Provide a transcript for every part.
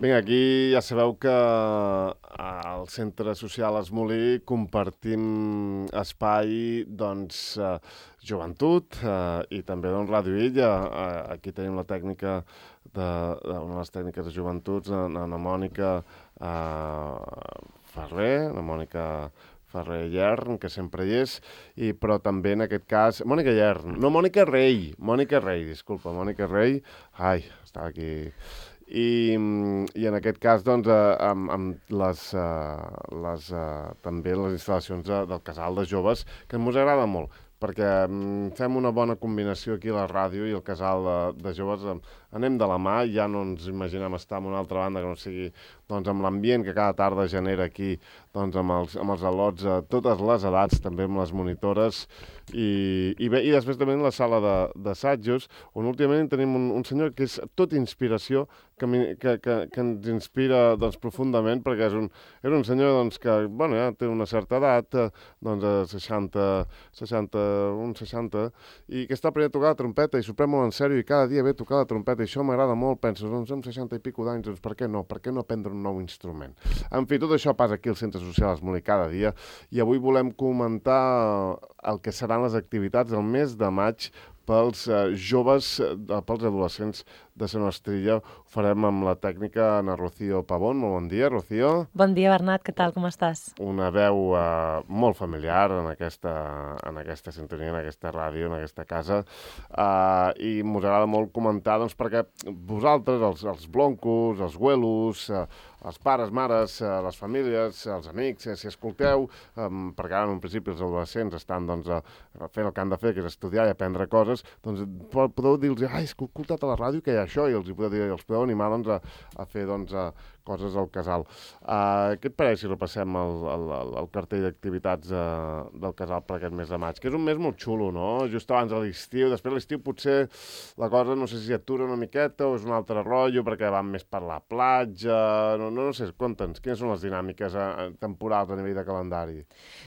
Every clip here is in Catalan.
Vinga, aquí ja sabeu que al Centre Social Esmolí compartim espai, doncs, joventut i també doncs, Ràdio Illa. Aquí tenim la tècnica una de les tècniques de joventuts, la Mònica Ferrer, la Mònica Ferrer Llern, que sempre hi és, però també en aquest cas... Mònica Llern, no, Mònica Rei, disculpa, Mònica Rei. Ai, estava aquí... I en aquest cas, doncs, amb també les instal·lacions del casal de joves, que ens agrada molt, perquè fem una bona combinació aquí a la ràdio i el casal de joves anem de la mà, ja no ens imaginem estar en una altra banda que no sigui doncs, amb l'ambient que cada tarda genera aquí doncs, amb els al·lots a totes les edats, també amb les monitores i després també en la sala d'assajos, on últimament tenim un senyor que és tot inspiració, que ens inspira doncs, profundament, perquè és un senyor doncs, que bueno, ja té una certa edat, doncs 60, i que està aprenent a tocar la trompeta i s'ho pren molt en sèrio i cada dia ve a tocar la trompeta i això m'agrada molt. Penso, doncs amb 60 i pico d'anys, doncs per què no aprendre un nou instrument? En fi, tot això passa aquí al Centre Social Esmolí cada dia i avui volem comentar el que seran les activitats del mes de maig pels joves, pels adolescents de Sant Ostrilla. Ho farem amb la tècnica Ana Rocío Pavón. Molt bon dia, Rocío. Bon dia, Bernat. Què tal? Com estàs? Una veu molt familiar en aquesta sintonia, en aquesta ràdio, en aquesta casa. I m'us agrada molt comentar, doncs, perquè vosaltres, els bloncos, els güelos, els pares, mares, les famílies, els amics, si escolteu, perquè ara en principi els adolescents estan doncs, fent el que han de fer, que és estudiar i aprendre coses, doncs podeu dir-los, he escoltat a la ràdio que hi ha això, i els podeu animar doncs, a fer doncs, coses al casal. Què et pareix si repassem el cartell d'activitats del casal per aquest mes de maig? Que és un mes molt xulo, no? Just abans de l'estiu. Després de l'estiu potser la cosa no sé si atura una miqueta o és un altre rotllo perquè van més per la platja. No sé, conta'ns, quines són les dinàmiques temporals a nivell de calendari?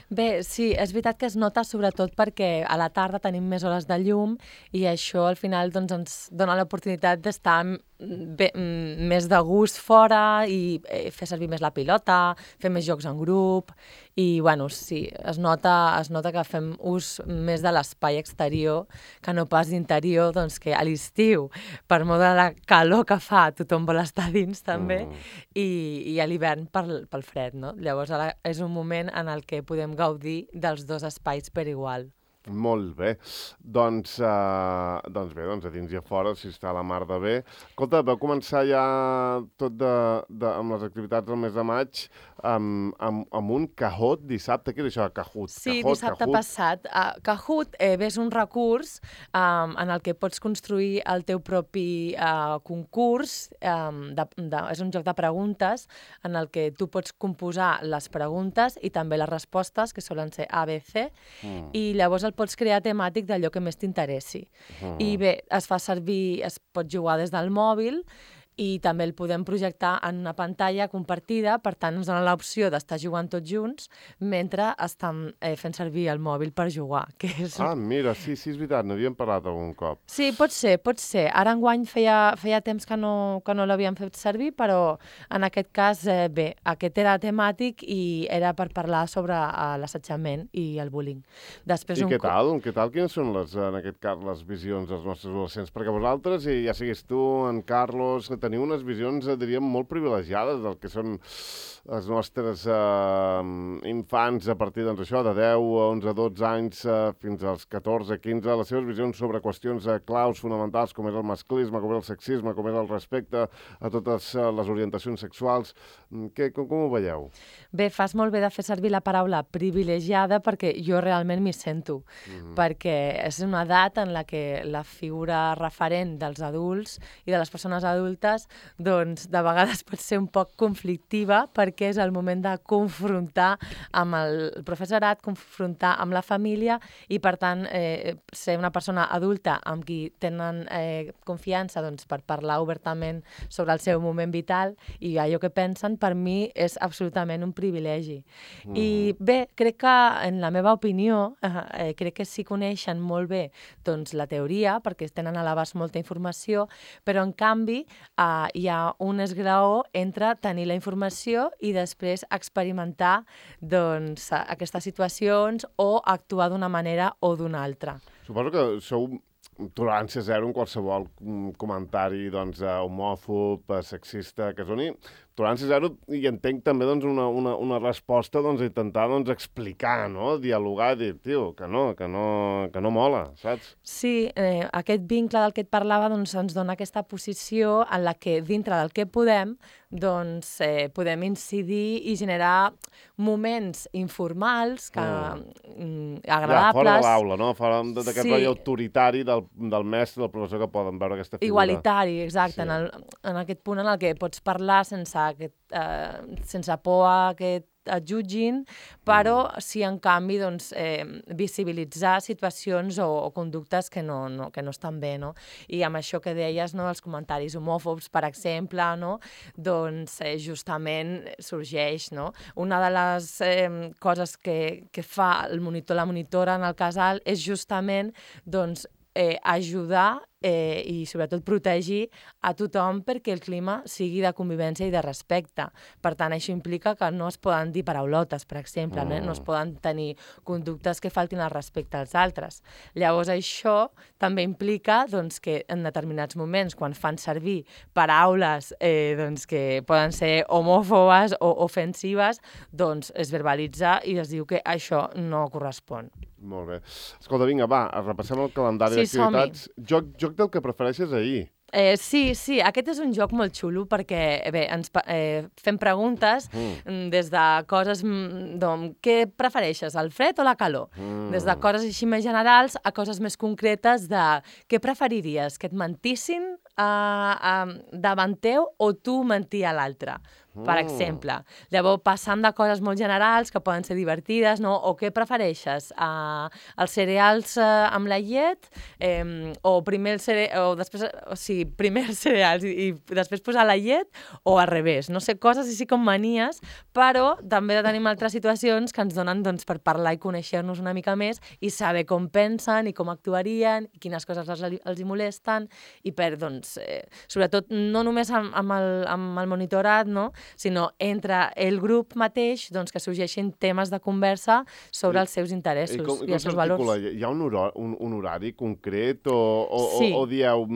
Bé, sí, és veritat que es nota sobretot perquè a la tarda tenim més hores de llum i això al final doncs, ens dona l'oportunitat d'estar més de gust fora i fer servir més la pilota, fer més jocs en grup i, bueno, sí, es nota que fem ús més de l'espai exterior que no pas interior, doncs que a l'estiu, per molt de la calor que fa, tothom vol estar dins també i a l'hivern pel fred, no? Llavors ara és un moment en el que podem gaudir dels dos espais per igual. Molt bé. Doncs a dins i a fora, si està la mar de bé. Escolta, vau començar ja tot amb les activitats del mes de maig amb un Kahoot dissabte. Què és això, Kahoot? Sí, dissabte passat. Kahoot és un recurs en el que pots construir el teu propi concurs. És un joc de preguntes en el que tu pots composar les preguntes i també les respostes, que solen ser A, B, C, i llavors el pots crear temàtic d'allò que més t'interessi. I bé, es pot jugar des del mòbil i també el podem projectar en una pantalla compartida, per tant ens dona l'opció d'estar jugant tots junts mentre estan fent servir el mòbil per jugar. Mira, sí, és veritat, n'havíem parlat algun cop. Sí, pot ser. Ara enguany feia temps que no l'havíem fet servir, però en aquest cas, bé, aquest era temàtic i era per parlar sobre l'assetjament i el bullying. I què tal? Quines són en aquest cas les visions dels nostres adolescents? Perquè vosaltres, i ja siguis tu, en Carlos, teniu unes visions, diríem, molt privilegiades del que són els nostres infants a partir doncs, això de 10, 11, 12 anys fins als 14, 15, les seves visions sobre qüestions claus fonamentals com és el masclisme, com és el sexisme, com és el respecte a totes les orientacions sexuals. Com ho veieu? Bé, fas molt bé de fer servir la paraula privilegiada perquè jo realment m'hi sento, perquè és una edat en la que la figura referent dels adults i de les persones adultes doncs de vegades pot ser un poc conflictiva perquè és el moment de confrontar amb el professorat, confrontar amb la família i, per tant, ser una persona adulta amb qui tenen confiança doncs, per parlar obertament sobre el seu moment vital i allò que pensen, per mi és absolutament un privilegi. I bé, crec que, en la meva opinió, crec que sí coneixen molt bé doncs, la teoria, perquè tenen a l'abast molta informació, però en canvi hi ha un esglaó entre tenir la informació i després experimentar doncs, aquestes situacions o actuar d'una manera o d'una altra. Suposo que sou tolerància zero en qualsevol comentari doncs, homòfob, sexista, que soni tolerància zero, i entenc també doncs, una resposta doncs, a intentar doncs, explicar, no? Dialogar i dir, tio, que no mola, saps? Sí, aquest vincle del que et parlava doncs, ens dona aquesta posició en la que dintre del que podem doncs, podem incidir i generar moments informals que, agradables. Ja, fora de l'aula, no? Fora d'aquest rotllo autoritari del mestre, del professor, que poden veure aquesta figura. Igualitari, exacte, Sí. en aquest punt en el que pots parlar sense por a que et jutgin, però sí, en canvi, doncs, visibilitzar situacions o conductes que no estan bé, no? I amb això que deies, no, els comentaris homòfobs, per exemple, no, doncs justament sorgeix, no? Una de les coses que fa la monitora en el casal és justament, doncs, ajudar i sobretot protegir a tothom perquè el clima sigui de convivència i de respecte. Per tant, això implica que no es poden dir paraulotes, per exemple, no es poden tenir conductes que faltin al respecte als altres. Llavors, això també implica doncs, que en determinats moments, quan fan servir paraules doncs, que poden ser homòfobes o ofensives, doncs es verbalitza i es diu que això no correspon. Molt bé. Escolta, vinga, va, repassem el calendari d'activitats. Joc del que prefereixes ahir. Sí, aquest és un joc molt xulo perquè bé, ens fem preguntes des de coses, què prefereixes, el fred o la calor? Des de coses així més generals a coses més concretes de què preferiries, que et mentissin davant teu o tu mentir a l'altre, per exemple. Llavors, passant de coses molt generals que poden ser divertides, no? O què prefereixes, els cereals amb la llet o primer els cereals i després posar la llet o al revés. No sé, coses així com manies, però també tenim altres situacions que ens donen doncs, per parlar i conèixer-nos una mica més i saber com pensen i com actuarien, i quines coses els hi molesten, i per, doncs, sobretot, no només amb el monitorat, no? Sinó entre el grup mateix doncs, que sorgeixin temes de conversa sobre els seus interessos i els seus valors. Hi ha un horari concret Sí. o dieu,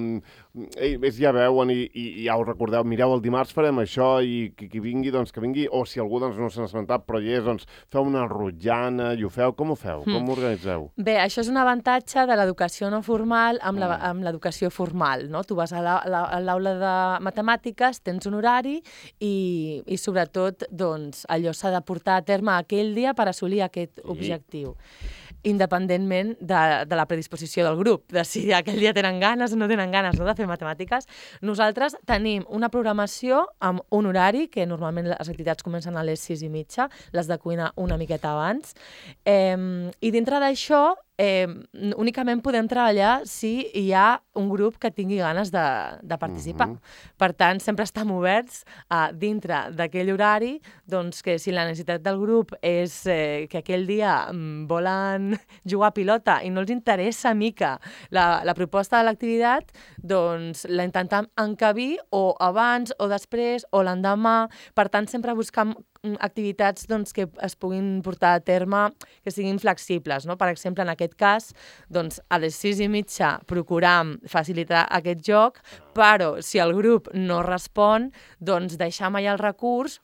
ja veuen i ja ho recordeu, mireu, el dimarts farem això i qui vingui, doncs que vingui, o si algú doncs, no s'ha esmentat però hi és, doncs feu una rotllana i ho feu. Com ho feu? Com ho organitzeu? Bé, això és un avantatge de l'educació no formal amb l'educació formal, no? Tu vas a l'aula de matemàtiques, tens un horari i sobretot doncs, allò s'ha de portar a terme aquell dia per assolir aquest objectiu, independentment de la predisposició del grup, de si aquell dia tenen ganes o no tenen ganes de fer matemàtiques. Nosaltres tenim una programació amb un horari, que normalment les activitats comencen a les 6:30, les de cuina una miqueta abans, i dintre d'això únicament podem treballar si hi ha un grup que tingui ganes de participar. Per tant, sempre estem oberts dintre d'aquell horari, doncs que si la necessitat del grup és que aquell dia volen jugar a pilota i no els interessa mica la proposta de l'activitat, doncs la intentem encabir o abans o després o l'endemà. Per tant, sempre buscam activitats doncs, que es puguin portar a terme, que siguin flexibles, no? Per exemple, en aquest cas, doncs, a les 6:30 procuram facilitar aquest joc, però si el grup no respon, doncs deixam allà el recurs,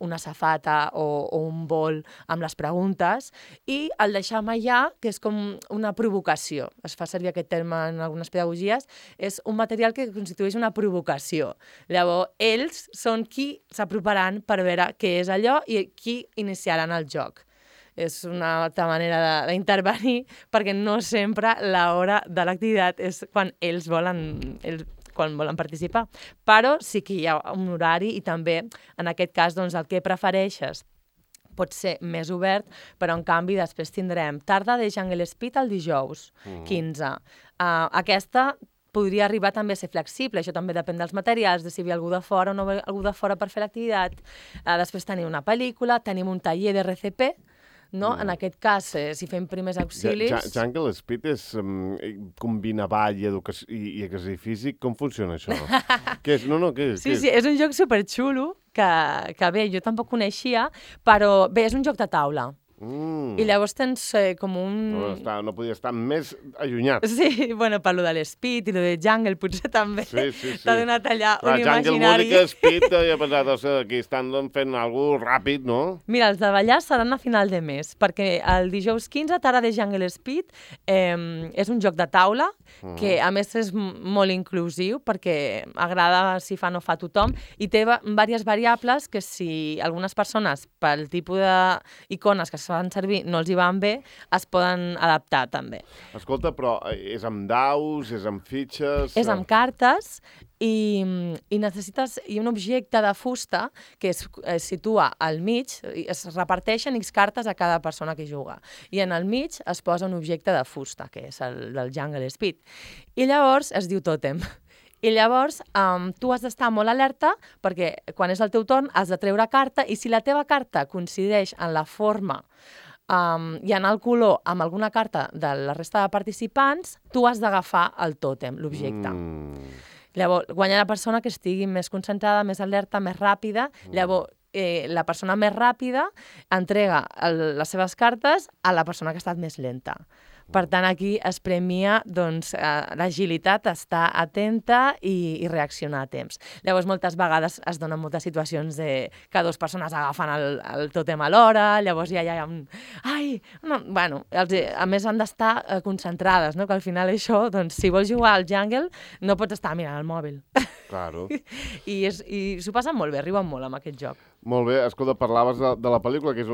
una safata o un bol amb les preguntes, i el deixam allà, que és com una provocació. Es fa servir aquest terme en algunes pedagogies. És un material que constitueix una provocació. Llavors, ells són qui s'aproparan per veure què és allò i qui iniciaran el joc. És una altra manera d'intervenir, perquè no sempre l'hora de l'activitat és quan ells volen participar. Però sí que hi ha un horari i també, en aquest cas, doncs, el que prefereixes pot ser més obert, però en canvi després tindrem tarda de Jungle Speed el dijous, 15. Aquesta podria arribar també a ser flexible, això també depèn dels materials, de si hi ha algú de fora o no hi ha algú de fora per fer l'activitat. Després tenim una pel·lícula, tenim un taller de RCP, no? En aquest cas, si fem primers auxilis... Jungle Speed és combina ball i exercici físic. Com funciona això? Què és? Què és? Sí, és un joc superxulo que bé, jo tampoc coneixia, però bé, és un joc de taula. I llavors tens com un... No podia estar més allunyat. Sí, bueno, per lo de l'Speed i lo de Jungle potser també t'ha donat allà un imaginari. Jungle, música, Speed, jo he pensat, aquí estan fent alguna cosa ràpid, no? Mira, els de ballar seran a final de mes, perquè el dijous 15 t'ara de Jungle Speed és un joc de taula que a més és molt inclusiu perquè agrada si fa no fa tothom i té diverses variables que si algunes persones pel tipus d'icones que es fan servir no els hi van bé, es poden adaptar també. Escolta, però és amb daus, és amb fitxes... És amb cartes i necessites un objecte de fusta que es situa al mig, es reparteixen X cartes a cada persona que juga. I en el mig es posa un objecte de fusta, que és el del Jungle Speed. I llavors es diu tòtem. I llavors tu has d'estar molt alerta perquè quan és el teu torn has de treure carta i si la teva carta coincideix en la forma i en el color amb alguna carta de la resta de participants, tu has d'agafar el tòtem, l'objecte. Llavors, guanya la persona que estigui més concentrada, més alerta, més ràpida. Llavors, la persona més ràpida entrega les seves cartes a la persona que ha estat més lenta. Per tant, aquí es premia l'agilitat, estar atenta i reaccionar a temps. Llavors, moltes vegades es donen moltes situacions que dues persones agafen el tòtem alhora, llavors ja hi ha un... Ai! No. Bueno, a més han d'estar concentrades, no? Que al final això, si vols jugar al Jungle, no pots estar mirant el mòbil. Claro. I s'ho passen molt bé, riuen molt amb aquest joc. Molt bé, escolta, parlaves de la pel·lícula, que és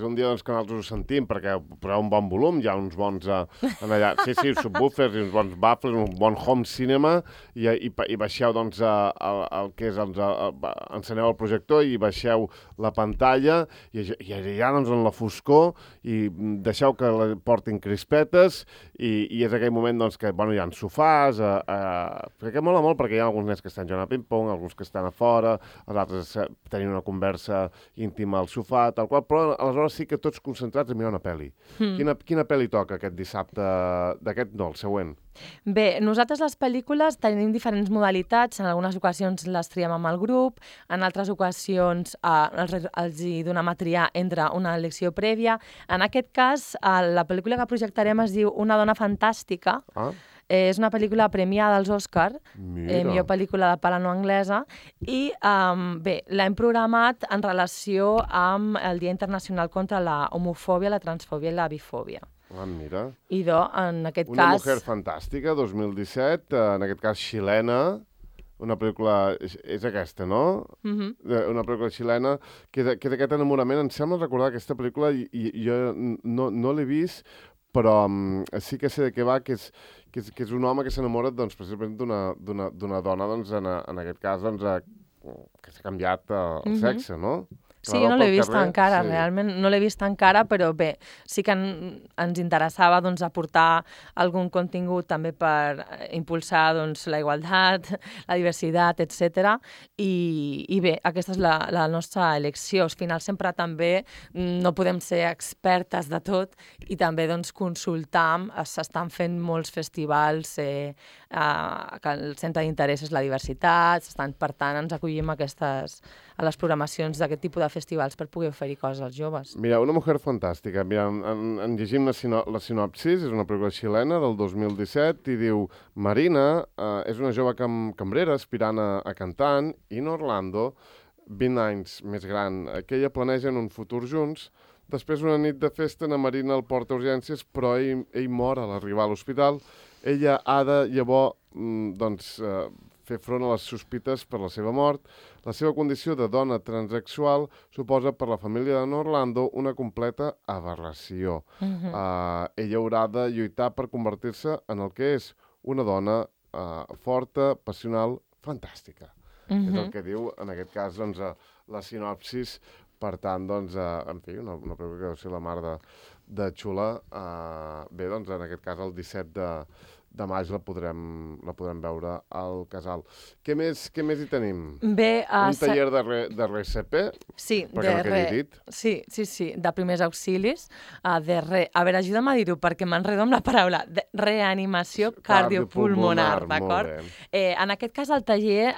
un dia que nosaltres ho sentim, perquè poseu un bon volum, hi ha uns bons allà, sí, subwoofers i uns bons baffles, un bon home cinema, i baixeu, el que és, enceneu el projector i baixeu la pantalla, i allà, en la foscor, i deixeu que portin crispetes, i és aquell moment, que, hi ha sofàs, perquè mola molt, perquè hi ha alguns nens que estan jugant a ping-pong, alguns que estan a fora, els altres tenint una conversa íntima al sofà, tal qual, però aleshores sí que tots concentrats a mirar una pel·li. Quina pel·li toca aquest dissabte? El següent. Bé, nosaltres les pel·lícules tenim diferents modalitats, en algunes ocasions les triem amb el grup, en altres ocasions els hi donem a triar entre una elecció prèvia. En aquest cas, la pel·lícula que projectarem es diu Una dona fantàstica. És una pel·lícula premiada als Òscar, millor pel·lícula de parla no anglesa, i bé, l'hem programat en relació amb el Dia Internacional contra la homofòbia, la transfòbia i la bifòbia. Mira. I en aquest cas... Una mujer fantàstica, 2017, en aquest cas xilena, una pel·lícula... És aquesta, no? Una pel·lícula xilena, que és aquest enamorament. Em sembla recordar aquesta pel·lícula, i jo no l'he vist, però sí que sé de què va, que és un home que s'enamora, precisament d'una dona, en aquest cas, que s'ha canviat el sexe, no? Sí, jo no l'he vist encara, realment no l'he vist encara, però bé, sí que ens interessava aportar algun contingut també per impulsar la igualtat, la diversitat, etc. I bé, aquesta és la nostra elecció. Al final sempre també no podem ser expertes de tot i també consultar, s'estan fent molts festivals que el centre d'interès és la diversitat, per tant ens acollim a les programacions d'aquest tipus de festivals per poder oferir coses als joves. Mira, Una mujer fantàstica. Mira, en llegim la sinopsis, és una pel·lícula xilena del 2017 i diu: Marina és una jove cambrera aspirant a cantant i en Orlando, 20 anys més gran, que ella planegen un futur junts. Després una nit de festa, na Marina el porta a urgències, però ell mor a l'arribar a l'hospital. Ella ha de, llavors, fer front a les sospites per la seva mort. La seva condició de dona transsexual suposa per la família de Orlando una completa aberració. Ella haurà de lluitar per convertir-se en el que és una dona forta, passional, fantàstica. És el que diu, en aquest cas, la sinopsis. Per tant, en fi, una pel·lícula que deu ser la mar de xula. Bé, en aquest cas, el 17 de maig la podrem veure al casal. Què més hi tenim? Bé, un taller de RCP? Sí, perquè no quedi dit. Sí, de primers auxilis. A veure, ajuda'm a dir-ho, perquè m'enredo amb la paraula. Reanimació cardiopulmonar, d'acord? En aquest cas, el taller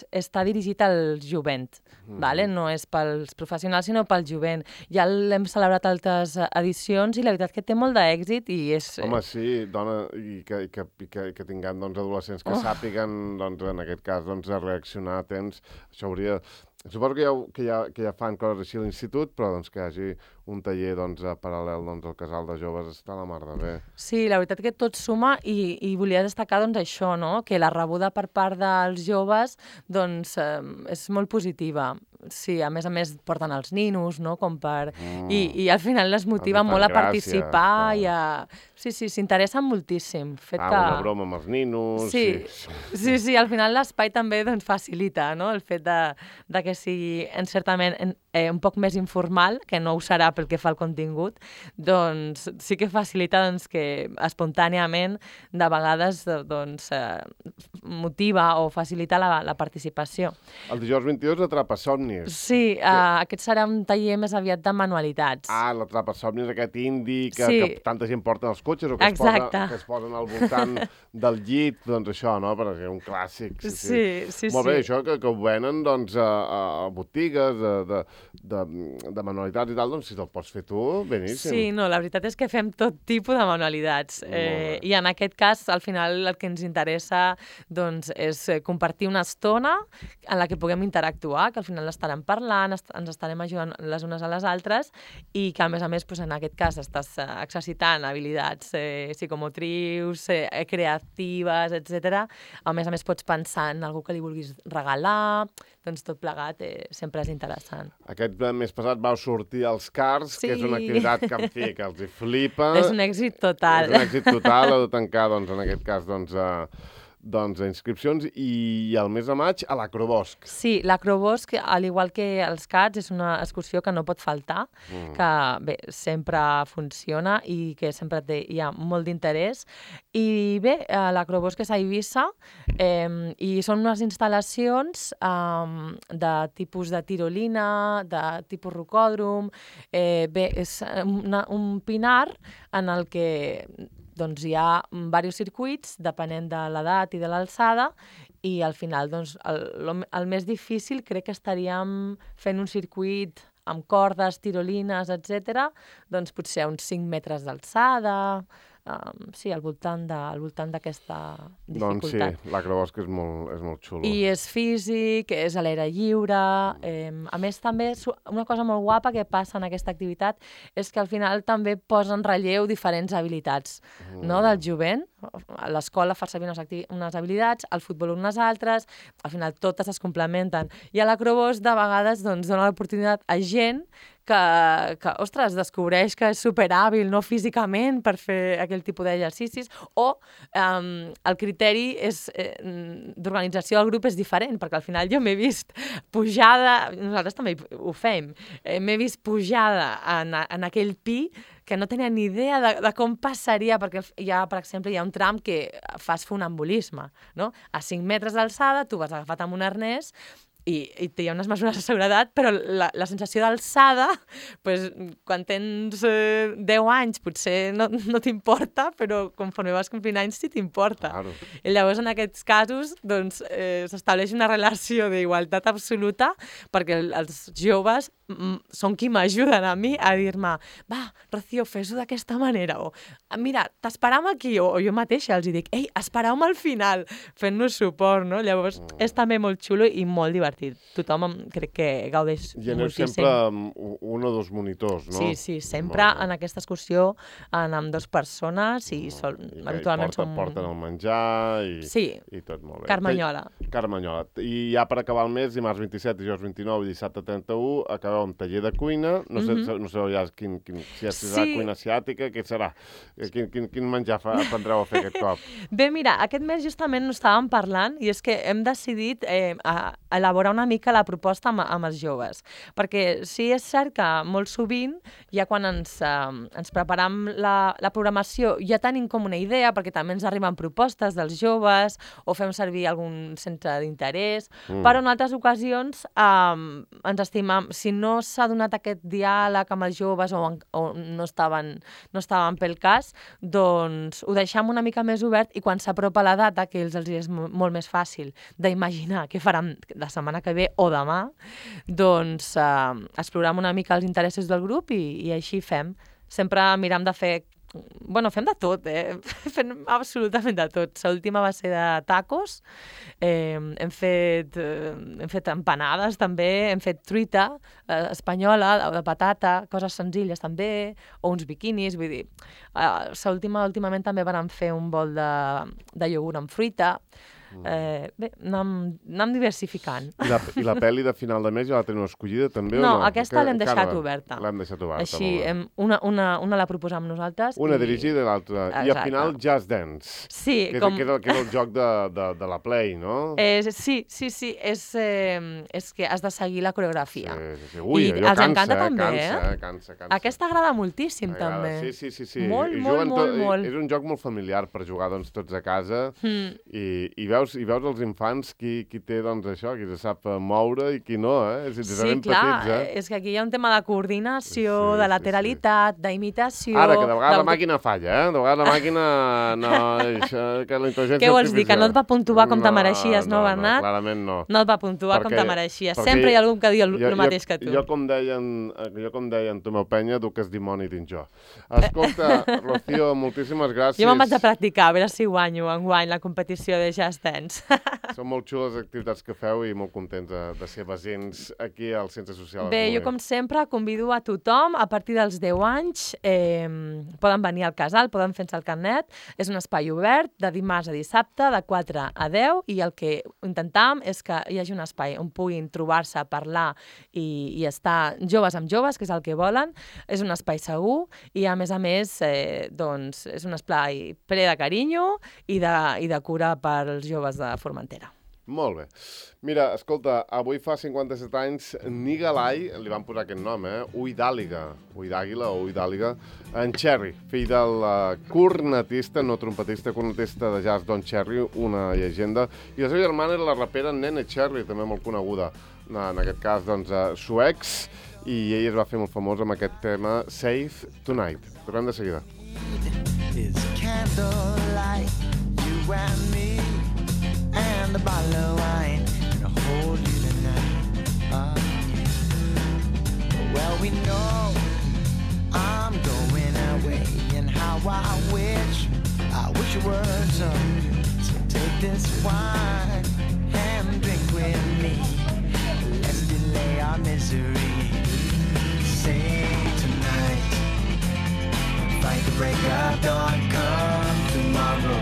està dirigit al jovent, vale? No és pels professionals, sinó pel jovent. Ja l'hem celebrat altres edicions i la veritat que té molt d'èxit i és... Home, sí, dona, i que tinguem adolescents que sàpiguen, en aquest cas, a reaccionar a temps. Això hauria... Suposo que ja fan coses així a l'institut, però que hi hagi un taller paral·lel al casal de joves està a la mar de bé. Sí, la veritat que tot suma i volia destacar això, no? Que la rebuda per part dels joves és molt positiva. Sí, a més porten els ninos, no? Com per... I al final les motiva molt a participar i a... Sí, s'interessen moltíssim. Una broma amb els ninos... Sí, al final l'espai també facilita, no? El fet de que sigui encertament un poc més informal, que no ho serà pel que fa al contingut, doncs sí que facilita que espontàniament de vegades motiva o facilita la participació. El dijous 22 Atrapa-somnis. Sí, aquest serà un taller més aviat de manualitats. L'Atrapa-somnis, aquest indi que tanta gent porta als cotxes o que es posen al voltant del llit, doncs això, no? Perquè és un clàssic. Sí. Molt bé, això que ho venen a botigues de manualitats i tal, doncs si te'l pots fer tu, beníssim. Sí, no, la veritat és que fem tot tipus de manualitats. I en aquest cas, al final, el que ens interessa és compartir una estona en la que puguem interactuar, que al final estarem parlant, ens estarem ajudant les unes a les altres i que, a més, en aquest cas, estàs exercitant habilitats psicomotrius, creatives, etc. A més, pots pensar en algú que li vulguis regalar, doncs tot plegat sempre és interessant. Aquest mes passat vau sortir als Cars, que és una activitat que els hi flipa. És un èxit total. És un èxit total, heu de tancar, en aquest cas, inscripcions, i el mes de maig a l'Acrobosc. Sí, l'Acrobosc, al igual que els CATs, és una excursió que no pot faltar, que bé, sempre funciona i que sempre hi ha molt d'interès. I bé, l'Acrobosc és a Eivissa i són unes instal·lacions de tipus de tirolina, de tipus rocòdrom. Bé, és un pinar en el que hi ha diversos circuits, depenent de l'edat i de l'alçada, i al final el més difícil crec que estaríem fent un circuit amb cordes, tirolines, etc. Potser a uns 5 metres d'alçada, sí, al voltant d'aquesta dificultat. Doncs sí, l'Acrobosc és molt xulo. I és físic, és a l'aire lliure. A més, també una cosa molt guapa que passa en aquesta activitat és que al final també posa en relleu diferents habilitats del jovent. A l'escola fa servir unes habilitats, al futbol unes altres, al final totes es complementen. I a l'Acrobosc de vegades dona l'oportunitat a gent que ostres, descobreix que és superhàbil, no físicament, per fer aquell tipus d'exercicis, o el criteri d'organització del grup és diferent, perquè al final jo m'he vist pujada, nosaltres també ho fem, m'he vist pujada en aquell pi que no tenia ni idea de com passaria, perquè per exemple, hi ha un tram que fas funambulisme, no? A 5 metres d'alçada, tu vas agafat amb un arnès, i hi ha unes mesures de seguretat, però la sensació d'alçada, quan tens 10 anys potser no t'importa, però conforme vas complint anys sí t'importa. Claro. I llavors en aquests casos s'estableix una relació d'igualtat absoluta, perquè els joves són qui m'ajuden a mi a dir-me va, Rocío, fes-ho d'aquesta manera, o mira, t'esperam aquí, o jo mateixa els dic, ei, espereu-me al final, fent-nos suport, no? Llavors és també molt xulo i molt divertit. Tothom crec que gaudeix moltíssim. I aneu sempre amb un o dos monitors, no? Sí, sempre en aquesta excursió amb 2 persones i habitualment són... Porten el menjar i tot molt bé. Carmanyola. I ja per acabar el mes, dimarts 27, dijous 29 i dissabte 31, acabeu un taller de cuina, no sé ja si serà cuina asiàtica, què serà? Quin menjar aprendreu a fer aquest cop? Bé, mira, aquest mes justament no estàvem parlant i és que hem decidit elaborar elaborar una mica la proposta amb els joves. Perquè sí és cert que molt sovint, ja quan ens preparam la programació, ja tenim com una idea, perquè també ens arriben propostes dels joves o fem servir algun centre d'interès, però en altres ocasions ens estimam, si no s'ha donat aquest diàleg amb els joves o no estaven pel cas, doncs ho deixem una mica més obert i quan s'apropa la data, que els és molt més fàcil d'imaginar què faran la setmana que ve o demà, doncs explorem una mica els interessos del grup i així fem. Sempre miram de fer... Bueno, fem de tot, fem absolutament de tot. L'última va ser de tacos, hem fet empanades també, hem fet truita espanyola, de patata, coses senzilles també, o uns biquinis, vull dir. Últimament també vam fer un bol de iogurt amb fruita. Bé, anem diversificant. I la pel·li de final de mes ja la teniu escollida també o no? No, aquesta l'hem deixat oberta. L'hem deixat oberta. Així, una la proposam nosaltres. Una dirigida i l'altra. I al final Just Dance. Sí. Que era el joc de la Play, no? Sí. És que has de seguir la coreografia. Sí. Ui, allò cansa. Aquesta agrada moltíssim, també. Sí. Molt. És un joc molt familiar per jugar tots a casa i veus els infants qui té això, qui se sap moure i qui no, Sí, clar, és que aquí hi ha un tema de coordinació, de lateralitat, d'imitació... Ara, que de vegades la màquina falla, de vegades la màquina no... Que la intel·ligència Què vols dir, que no et va puntuar com te mereixies, no, Bernat? No, clarament no. No et va puntuar com te mereixies. Sempre hi ha algú que diu el mateix que tu. Jo, com deien Tomeu Penya, duques dimoni dins jo. Escolta, Rocío, moltíssimes gràcies. Jo me'n vaig a practicar, a veure si guanyo enguany la competició de Just Dance. Són molt xules les activitats que feu i molt contents de ser presents aquí al Centre Social. Bé, jo com sempre convido a tothom, a partir dels 10 anys, poden venir al casal, poden fer-se el carnet, és un espai obert de dimarts a dissabte, de 4 a 10, i el que intentem és que hi hagi un espai on puguin trobar-se, parlar i estar joves amb joves, que és el que volen. És un espai segur i, a més, doncs, és un espai ple de carinyo i de cura pels joves de Formentera. Molt bé. Mira, escolta, avui fa 57 anys Nigalai, li van posar aquest nom, Ull d'Àliga o Ull d'Àliga, en Cherry, fill del cornetista, no trompetista, cornetista de jazz Don Cherry, una llegenda, i la seva germana era la rapera Nene Cherry, també molt coneguda, en aquest cas, doncs, suecs, i ell es va fer molt famós amb aquest tema Save Tonight. Tornem de seguida. And a bottle of wine and hold you tonight. Well, we know I'm going away, and how I wish you were so take this wine and drink with me. Let's delay our misery. Save tonight, fight the break of dawn. Come tomorrow.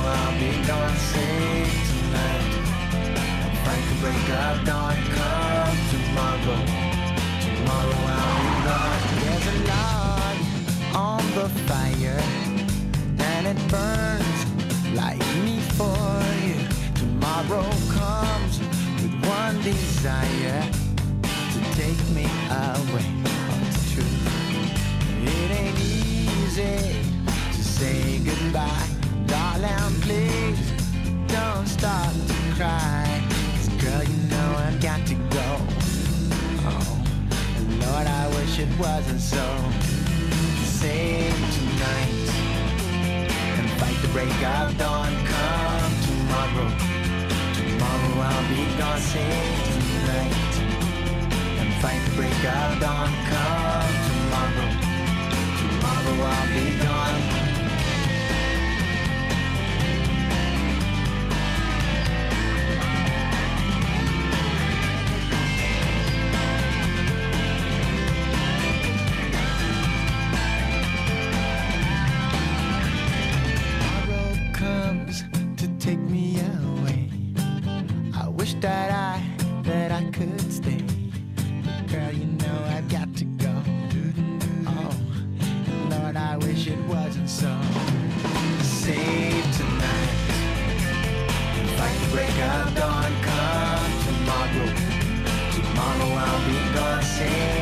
I'll be gone, sing tonight. Fight the break of dawn, come tomorrow. Tomorrow I'll be gone. There's a log on the fire, and it burns like me for you. Tomorrow comes with one desire, to take me away. Oh, it's true. It ain't easy to say goodbye. Darling, please don't start to cry. 'Cause girl, you know I've got to go. Oh, Lord, I wish it wasn't so. Save tonight and fight the break of dawn. Come tomorrow. Tomorrow I'll be gone. Save tonight and fight the break of dawn. Come tomorrow. Tomorrow I'll be gone. That I could stay. Girl, you know I've got to go. Oh, Lord, I wish it wasn't so. Save tonight. Fight the break of dawn. Come gonna say